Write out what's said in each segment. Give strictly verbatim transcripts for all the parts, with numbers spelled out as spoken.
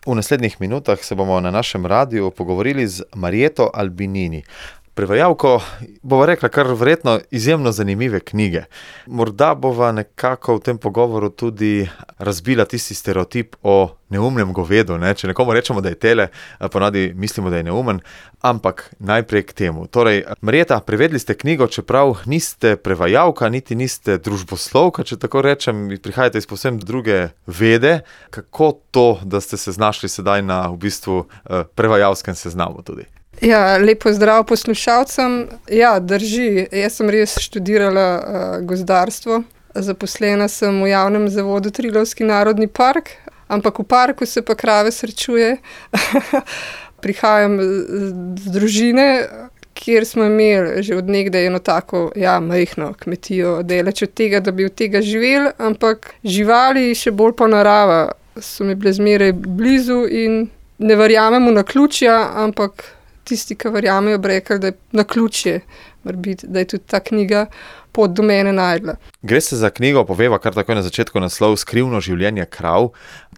V naslednjih minutah se bomo na našem radiju pogovorili z Marjeto Albinini, prevajalko, bova rekla, kar verjetno izjemno zanimive knjige. Morda bova nekako v tem pogovoru tudi razbila tisti stereotip o neumnem govedu, ne? Če nekomu rečemo, da je tele, ponavadi mislimo, da je neumen, ampak najprej k temu. Torej, Marjeta, prevedli ste knjigo, čeprav niste prevajalka, niti niste družboslovka, če tako rečem, prihajate iz povsem druge vede. Kako to, da ste se znašli sedaj na v bistvu prevajalskem seznamu tudi? Ja, lepo zdrav poslušalcem. Ja, drži. Jaz sem res študirala uh, gozdarstvo. Zaposlena sem v javnem zavodu Triglavski narodni park, ampak v parku se pa krave srečuje. Prihajam z družine, kjer smo imeli že od nekdaj eno tako, ja, majhno kmetijo, daleč od tega, da bi od tega živeli, ampak živali, še bolj pa narava, so mi bile zmeraj blizu in ne verjamem v naključja, ampak tisti, ki verjamejo, bi rekli, da je naključje, biti, da je tudi ta knjiga pot do mene najdla. Gre se za knjigo, poveva kar takoj na začetku naslov Skrivno življenje krav.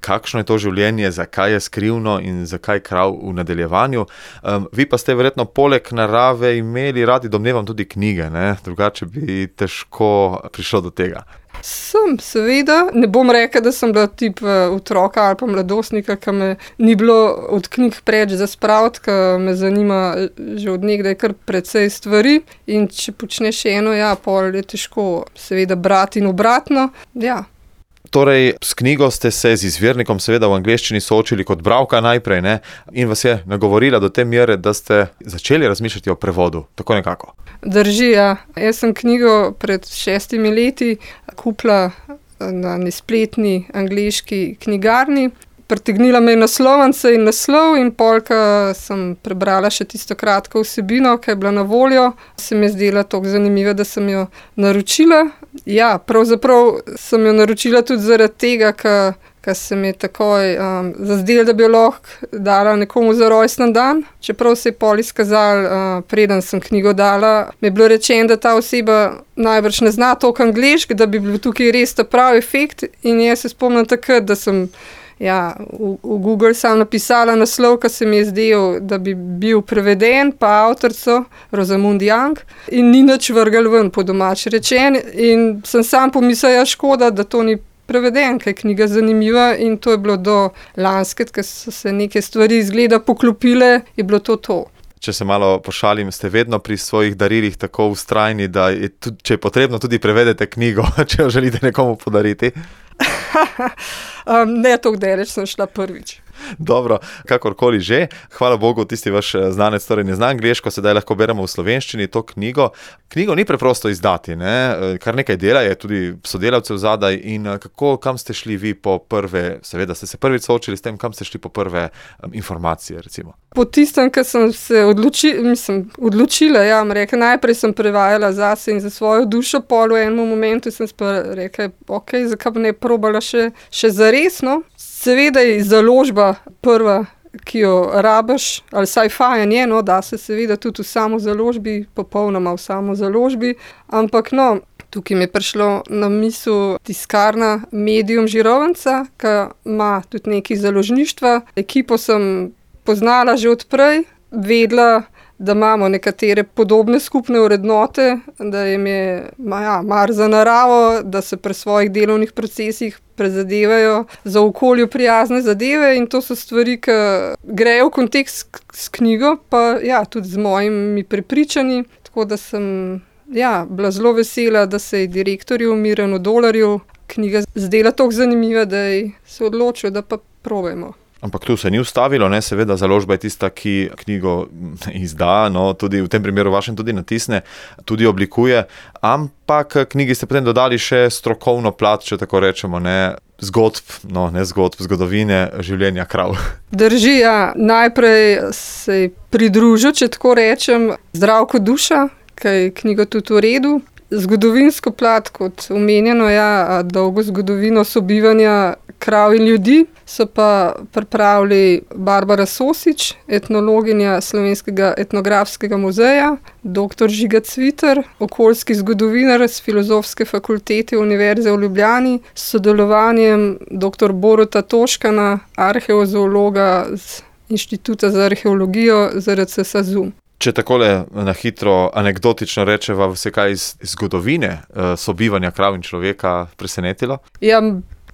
Kakšno je to življenje, zakaj je skrivno in zakaj krav v nadaljevanju? Um, vi pa ste verjetno poleg narave imeli radi, domnevam, tudi knjige, ne? Drugače bi težko prišlo do tega. Sem, seveda. Ne bom rekla, da sem bila tip otroka ali pa mladostnika, ki me ni bilo od knjig preč za spraviti, ki me zanima že od nekdaj kar precej stvari. In če počneš eno, ja, pol je težko seveda brati in obratno. Ja. Torej, s knjigo ste se z izvirnikom seveda v angleščini soočili kot bralka najprej, ne? In vas je nagovorila do te mere, da ste začeli razmišljati o prevodu, tako nekako. Drži, ja. Jaz sem knjigo pred šestimi leti kupila na nespletni angleški knjigarni. Pritegnila me je naslovnica in naslov in polka sem prebrala še tisto kratko vsebino, ki je bila na voljo. Se mi je zdela toliko zanimiva, da sem jo naročila. Ja, pravzaprav sem jo naročila tudi zaradi tega, ker se mi je takoj um, zazdelo, da bi jo lahko dala nekomu za rojstni dan. Čeprav se je pol izkazalo, uh, preden sem knjigo dala, mi je bilo rečeno, da ta oseba najbrž ne zna toliko angleško, da bi bil tukaj res ta pravi efekt. In jaz se spomnim takrat, da sem Ja, v, v Google sem napisala naslov, ki se mi je zdel, da bi bil preveden, pa avtorico Rosamund Young in ni nič vrgel ven, po domač rečen. In sem sam pomislila, škoda, da to ni preveden, ker je knjiga zanimiva in to je bilo do lanske, ker so se neke stvari izgleda poklopile, je bilo to to. Če se malo pošalim, ste vedno pri svojih darilih tako vztrajni, da je tudi, če je potrebno, tudi prevedete knjigo, če jo želite nekomu podariti? um, ne, tako daleč sem šla prvič. Dobro, kakorkoli že. Hvala Bogu, tisti vaš znanec torej ne zna angleško, sedaj lahko beremo v slovenščini to knjigo. Knjigo ni preprosto izdati, ne? Kar nekaj dela je, tudi sodelavcev zadaj. In kako, kam ste šli vi po prve, seveda ste se prvič soočili s tem, kam ste šli po prve um, informacije, recimo? Po tistem, ko sem se odloči, mislim, odločila, ja, rekla, najprej sem prevajala zase in za svojo dušo, pol v enem momentu sem pa rekla, ok, zakaj bi ne probala še, še zaresno. Seveda je založba prva, ki jo rabiš, ali sci-fi je, no, da se seveda tudi v samo založbi, popolnoma v samo založbi, ampak no, tukaj mi je prišlo na misel tiskarna Medium Žirovnica, ki ima tudi nekaj založništva. Ekipo sem poznala že odprej, vedela, da imamo nekatere podobne skupne vrednote, da jim je ja, mar za naravo, da se pri svojih delovnih procesih prezadevajo za okolju prijazne zadeve in to so stvari, ki grejo v kontekst s knjigo, pa ja, tudi z mojimi prepričanji, tako da sem ja, bila zelo vesela, da se je direktorju Mirjanu Dolarju knjiga zdela toliko zanimiva, da je se odločil, da pa probajmo. Ampak tu se ni ustavilo, ne, seveda založba je tista, ki knjigo izda, no, tudi v tem primeru vašem tudi natisne, tudi oblikuje, ampak knjigi ste potem dodali še strokovno plat, če tako rečemo, ne, zgodb, no, ne zgodb, zgodovine življenja krav. Drži, ja, najprej se je pridružil, če tako rečem, Zdravko Duša, ki je knjigo tudi v redu. Zgodovinsko plat, kot omenjeno, ja, dolgo zgodovino sobivanja krav in ljudi, so pa pripravili Barbara Sosič, etnologinja Slovenskega etnografskega muzeja, doktor Žiga Cviter, okoljski zgodovinar s Filozofske fakultete Univerze v Ljubljani, s sodelovanjem doktor Boruta Toškana, arheozoologa z Inštituta za arheologijo Z R C SAZU. Če takole na hitro anekdotično rečeva, vse kaj iz zgodovine sobivanja krav in človeka presenetilo? Ja,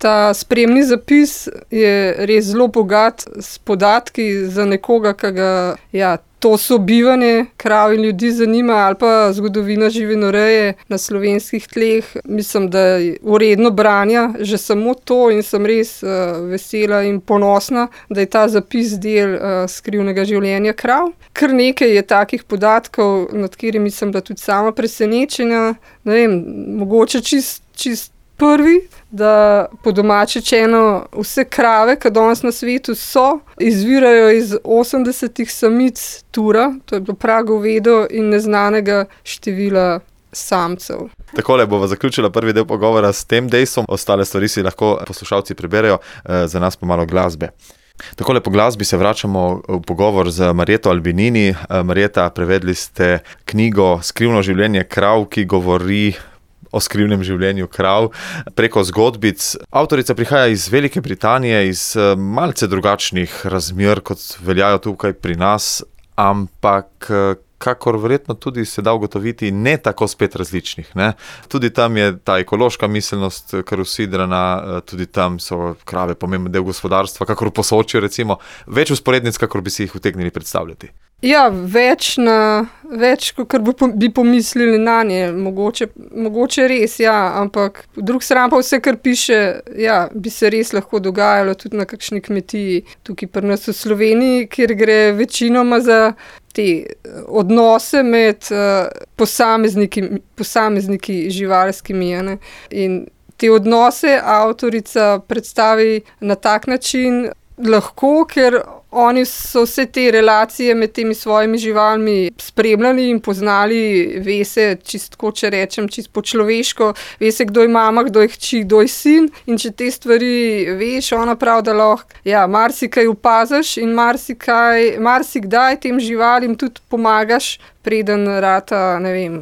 ta spremni zapis je res zelo bogat s podatki za nekoga, ki ga ja, to sobivanje krav in ljudi zanima, ali pa zgodovina živinoreje na slovenskih tleh. Mislim, da je uredno branja že samo to in sem res uh, vesela in ponosna, da je ta zapis del uh, skrivnega življenja krav. Kar nekaj je takih podatkov, nad katerimi sem bila tudi sama presenečena. Ne vem, mogoče čist, čist prvi, da po domače rečeno vse krave, ki danes na svetu so, izvirajo iz osemdesetih samic tura, to je bilo pragovedo in neznanega števila samcev. Takole bova zaključila prvi del pogovora s tem dejstvom, ostale stvari si lahko poslušalci preberejo, za nas pa malo glasbe. Takole po glasbi se vračamo v pogovor z Marjeto Albinini. Marjeta, prevedli ste knjigo Skrivno življenje krav, ki govori o skrivnem življenju krav preko zgodbic. Avtorica prihaja iz Velike Britanije, iz malce drugačnih razmer, kot veljajo tukaj pri nas, ampak kakor verjetno tudi se da ugotoviti, ne tako spet različnih. Ne? Tudi tam je ta ekološka miselnost kar usidrana, tudi tam so krave pomemben del gospodarstva, kakor v Posočju recimo, več usporednic, kakor bi si jih utegnili predstavljati. Ja, več, na, več kot bi pomislili na nje, mogoče, mogoče res, ja, ampak drug stran pa vse, kar piše, ja, bi se res lahko dogajalo tudi na kakšni kmetiji tukaj pri nas v Sloveniji, kjer gre večinoma za te odnose med uh, posamezniki, posamezniki živalskimi. Ne? In te odnose avtorica predstavi na tak način lahko, ker oni so vse te relacije med temi svojimi živalmi spremljali in poznali, ve se, čistko, če rečem, čist po človeško, ve se, kdo je mama, kdo je hči, kdo je sin, in če te stvari veš, ona prav, da lahko, ja, marsikaj opaziš in marsikaj, marsikdaj tem živalim tudi pomagaš, preden rata, ne vem,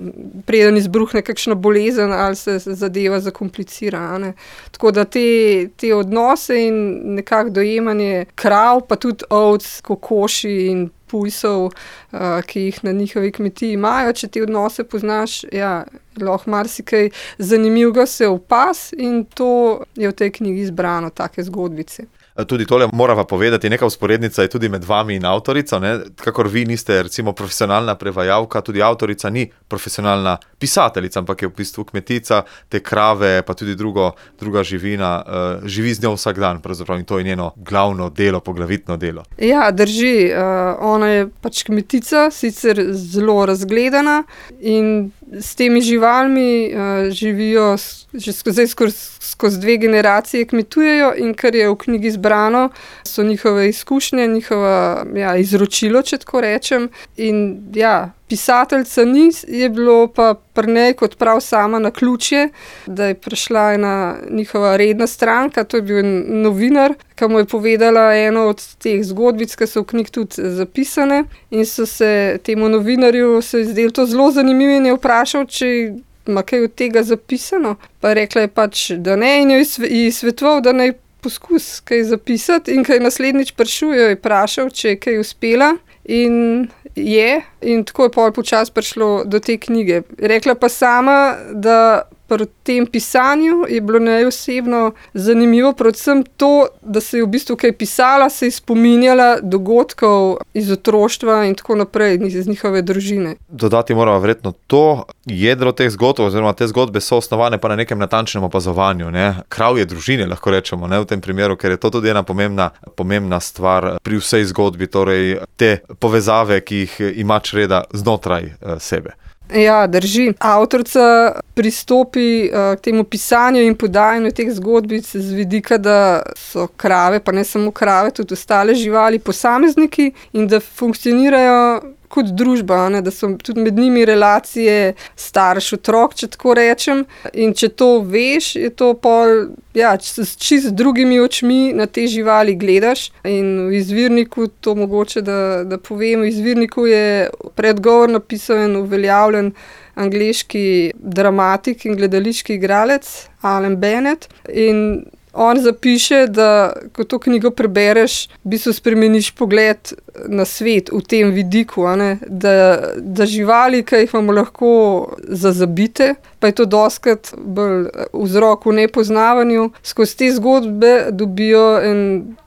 preden izbruhne kakšna bolezen ali se zadeva zakomplicira. Ne? Tako da te, te odnose in nekako dojemanje krav, pa tudi ovc, kokoši in pujsov, uh, ki jih na njihovi kmetiji imajo, če te odnose poznaš, ja, lahko marsikaj zanimivega se opaz in to je v tej knjigi izbrano, take zgodbice. Tudi tole morava povedati, neka vzporednica je tudi med vami in avtorico, ne? Kakor vi niste recimo profesionalna prevajalka, tudi avtorica ni profesionalna pisateljica, ampak je v bistvu kmetica, te krave, pa tudi drugo, druga živina, uh, živi z njo vsak dan, pravzaprav, in to je njeno glavno delo, poglavitno delo. Ja, drži, uh, ona je pač kmetica, sicer zelo razgledana in s temi živalmi uh, živijo že skozi, skozi, skozi dve generacije kmetujejo in kar je v knjigi zbrano, so njihove izkušnje, njihova ja, izročilo, če tako rečem. In ja, pisateljca ni, je bilo pa pri njej kot prav sama naključje, da je prišla ena njihova redna stranka, to je bil novinar, ki mu je povedala eno od teh zgodbic, ki so v knjigi tudi zapisane, in so se temu novinarju se izdelo to zelo zanimivo in je vprašal, če ima kaj od tega zapisano. Pa rekla je pač, da ne, in jo je svetoval, da naj poskus kaj zapisati, in kaj naslednjič prišel, jo je vprašal, če je kaj uspela, in je, in tako je pol počas prišlo do te knjige. Rekla pa sama, da pri tem pisanju je bilo njej osebno zanimivo predvsem to, da se je v bistvu kaj pisala, se je spominjala dogodkov iz otroštva in tako naprej, iz njihove družine. Dodati moramo verjetno to, jedro teh zgodb, oziroma te zgodbe so osnovane pa na nekem natančnem opazovanju, ne? Kravje družine, lahko rečemo, ne? V tem primeru, ker je to tudi ena pomembna, pomembna stvar pri vsej zgodbi, torej te povezave, ki jih ima čreda znotraj uh, sebe. Ja, drži. Avtorica pristopi uh, k temu pisanju in podajanju teh zgodbic z vidika, da so krave, pa ne samo krave, tudi ostale živali, posamezniki in da funkcionirajo kot družba, ne, da so tudi med njimi relacije starš-otrok, če tako rečem. In če to veš, je to pol, ja, s čist drugimi očmi na te živali gledaš. In v izvirniku, to mogoče, da, da povem, v izvirniku je predgovor napisal en uveljavljen angleški dramatik in gledališki igralec Alan Bennett. In on zapiše, da ko to knjigo prebereš, v bistvu spremeniš pogled na svet v tem vidiku, a ne? Da, da živali, ki jih imamo lahko zazabite, pa je to dostikrat bolj vzrok v nepoznavanju, skozi te zgodbe dobijo en,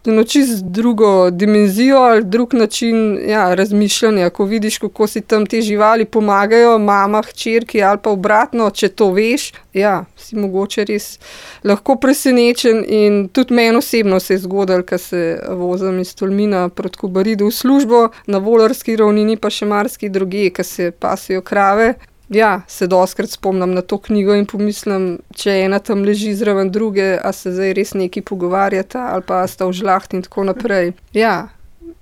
eno čisto drugo dimenzijo ali drug način, ja, razmišljanja. Ko vidiš, kako si tam te živali pomagajo, mama, hčerki ali pa obratno, če to veš, ja, si mogoče res lahko presenečen. In tudi meni osebno se je zgodilo, ko se vozim iz Tolmina proti Kobaridu v službo, na Volarski ravnini pa še marsikje drugje, ko se pasijo krave. Ja, se dostikrat spomnim na to knjigo in pomislim, če ena tam leži zraven druge, a se zdaj res nekaj pogovarjata ali pa sta v žlahti in tako naprej. Ja,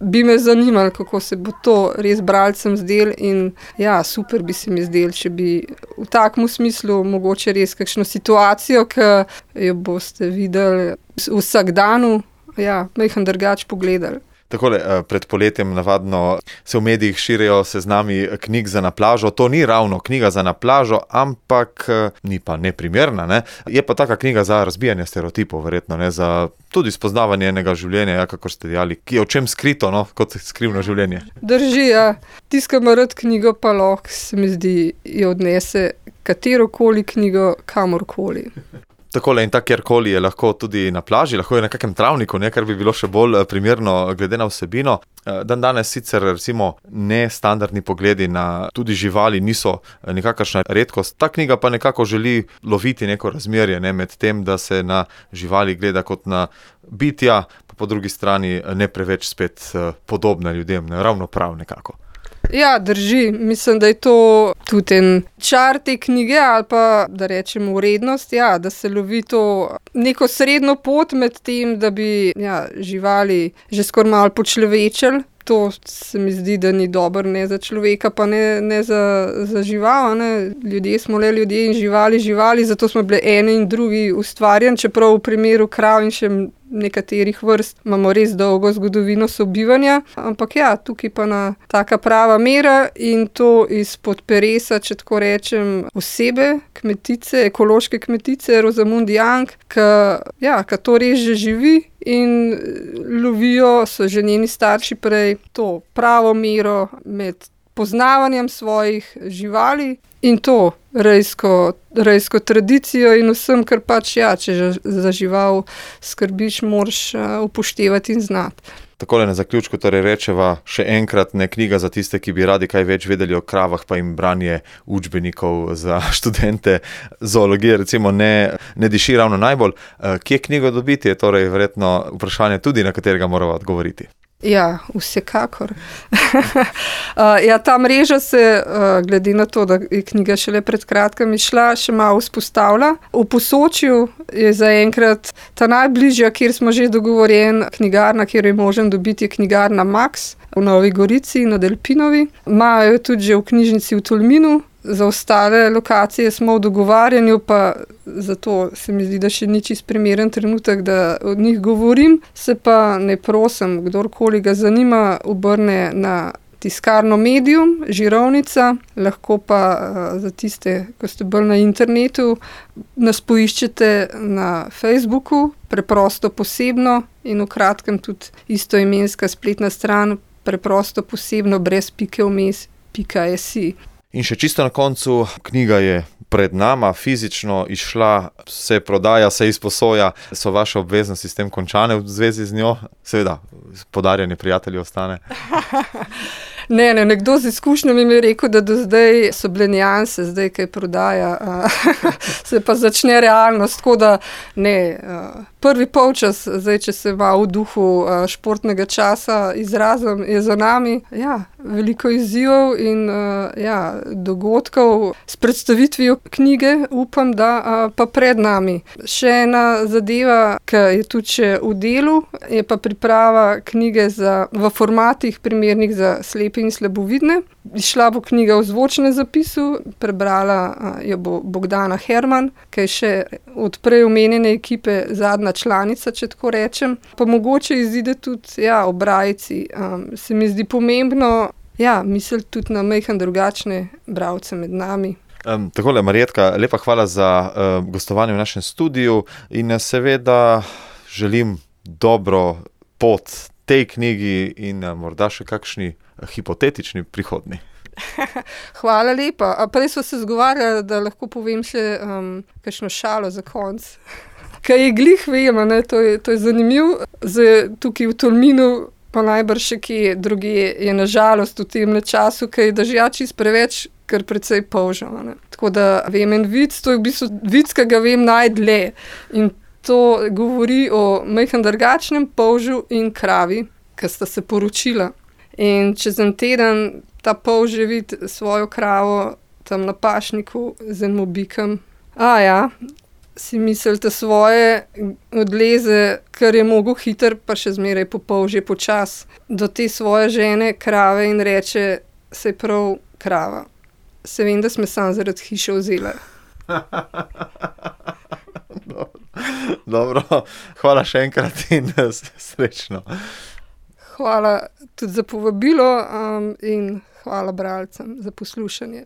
bi me zanimalo, kako se bo to res bralcem zdel in ja, super bi se mi zdel, če bi v takem smislu mogoče res kakšno situacijo, ki jo boste videli v vsakdanu, ja, majhen drugače pogledali. Takole, pred poletjem navadno se v medijih širijo seznami knjig za na plažo. To ni ravno knjiga za na plažo, ampak ni pa neprimerna, ne? Je pa taka knjiga za razbijanje stereotipov, verjetno, ne? Za tudi spoznavanje enega življenja, ja, kako ste dejali, ki je v čem skrito, no, kot skrivno življenje. Drži, ja. Tisti, ki ima rad knjigo, pa lahko, se mi zdi, jo odnese katerokoli knjigo kamorkoli. Takole in tak kjerkoli je lahko tudi na plaži, lahko je na kakem travniku, ne, kar bi bilo še bolj primerno glede na vsebino. Dan danes sicer recimo nestandardni pogledi na tudi živali niso nikakršna redkost. Ta knjiga pa nekako želi loviti neko razmerje, ne, med tem, da se na živali gleda kot na bitja, pa po drugi strani ne preveč spet podobna ljudem, ne, ravno prav nekako. Ja, drži. Mislim, da je to tudi en čar te knjige ali pa, da rečemo, vrednost, ja, da se lovi to neko srednjo pot med tem, da bi ja, živali že skoraj malo počlovečili. To se mi zdi, da ni dobro ne za človeka, pa ne, ne za, za žival. Ne. Ljudje smo le ljudje in živali živali, zato smo bili eni in drugi ustvarjeni, čeprav v primeru krav in še nekaterih vrst imamo res dolgo zgodovino sobivanja. Ampak ja, tukaj pa na taka prava mera in to izpod peresa, če tako rečem, osebe, kmetice, ekološke kmetice, Rosamunde Young, ki ja, to res že živi in lovijo, so že njeni starši prej, to pravo mero med poznavanjem svojih živali in to rejsko, rejsko tradicijo in vsem, kar pač ja, če za žival skrbiš, moraš upoštevati in znati. Takole na zaključku torej rečeva še enkrat, ne, knjiga za tiste, ki bi radi kaj več vedeli o kravah, pa jim branje učbenikov za študente zoologije recimo ne, ne diši ravno najbolj. Kje knjigo dobiti, je torej verjetno vprašanje tudi, na katerega morava odgovoriti. Ja, vsekakor. uh, ja, ta mreža se, uh, glede na to, da je knjiga šele pred kratkim izšla, še malo vzpostavlja. V Posočju je zaenkrat ta najbližja, kjer smo že dogovorjeni, knjigarna, kjer je možen dobiti, je knjigarna Max v Novi Gorici na Delpinovi. Imajo tudi že v knjižnici v Tolminu. Za ostale lokacije smo v dogovarjanju, pa zato se mi zdi, da še ni čisto primeren trenutek, da od njih govorim. Se pa ne prosim, kdorkoli ga zanima, obrne na tiskarno Medium, Žirovnica, lahko pa za tiste, ko ste bolj na internetu, nas poiščete na Facebooku, Preprosto posebno in v kratkem tudi istoimenska spletna stran Preprosto posebno brez pike vmes pika si. In še čisto na koncu, knjiga je pred nama, fizično izšla, se prodaja, se izposoja, so vaše obveznosti s tem končane v zvezi z njo? Seveda, podarjanje prijatelji ostane. Ne, ne, nekdo z izkušnjami mi je rekel, da do zdaj so bile nianse, zdaj kaj prodaja, se pa začne realnost, tako da ne, prvi polčas, zdaj če se ima v duhu športnega časa izrazim, je za nami, ja, veliko izzivov in ja, dogodkov s predstavitvijo knjige, upam, da pa pred nami. Še ena zadeva, ki je tudi še v delu, je pa priprava knjige za, v formatih primernih za slepe slepe in slabovidne. Išla bo knjiga o zvočnem zapisu, prebrala uh, jo bo Bogdana Herman, ki je še od prej omenjene ekipe zadnja članica, če tako rečem. Pa mogoče izide tudi ja, o Brajici. Um, se mi zdi pomembno ja, misliti tudi na majhen drugačne bralce med nami. Um, takole, Marjetka, lepa hvala za uh, gostovanje v našem studiu in seveda želim dobro pot tej knjigi in uh, morda še kakšni hipotetični prihodni. Hvala lepa. A prej smo se zgovarjali, da lahko povem še um, kakšno šalo za konc. Kaj je glih vem, ne, to je, to je zanimivo. Zdaj, tukaj v Tolminu, pa najbrž še kje drugje, je nažalost v tem času, kaj je dežja čisto preveč, kar precej polžal. Ne. Tako da vem en vic, to je v bistvu vic, ki ga vem najdlje. In to govori o majhen drugačnem polžu in kravi, ki sta se poročila. In čez en teden ta polž je vidi svojo kravo tam na pašniku z enim bikom. A ja, si mislite svoje, odleze, kar je mogel hiter, pa še zmeraj po polžje počas, do te svoje žene, krave in reče, saj prav krava. Se vem, da sme sam zaradi hiše vzela. Dobro, hvala še enkrat in srečno. Hvala tudi za povabilo um, in hvala bralcem za poslušanje.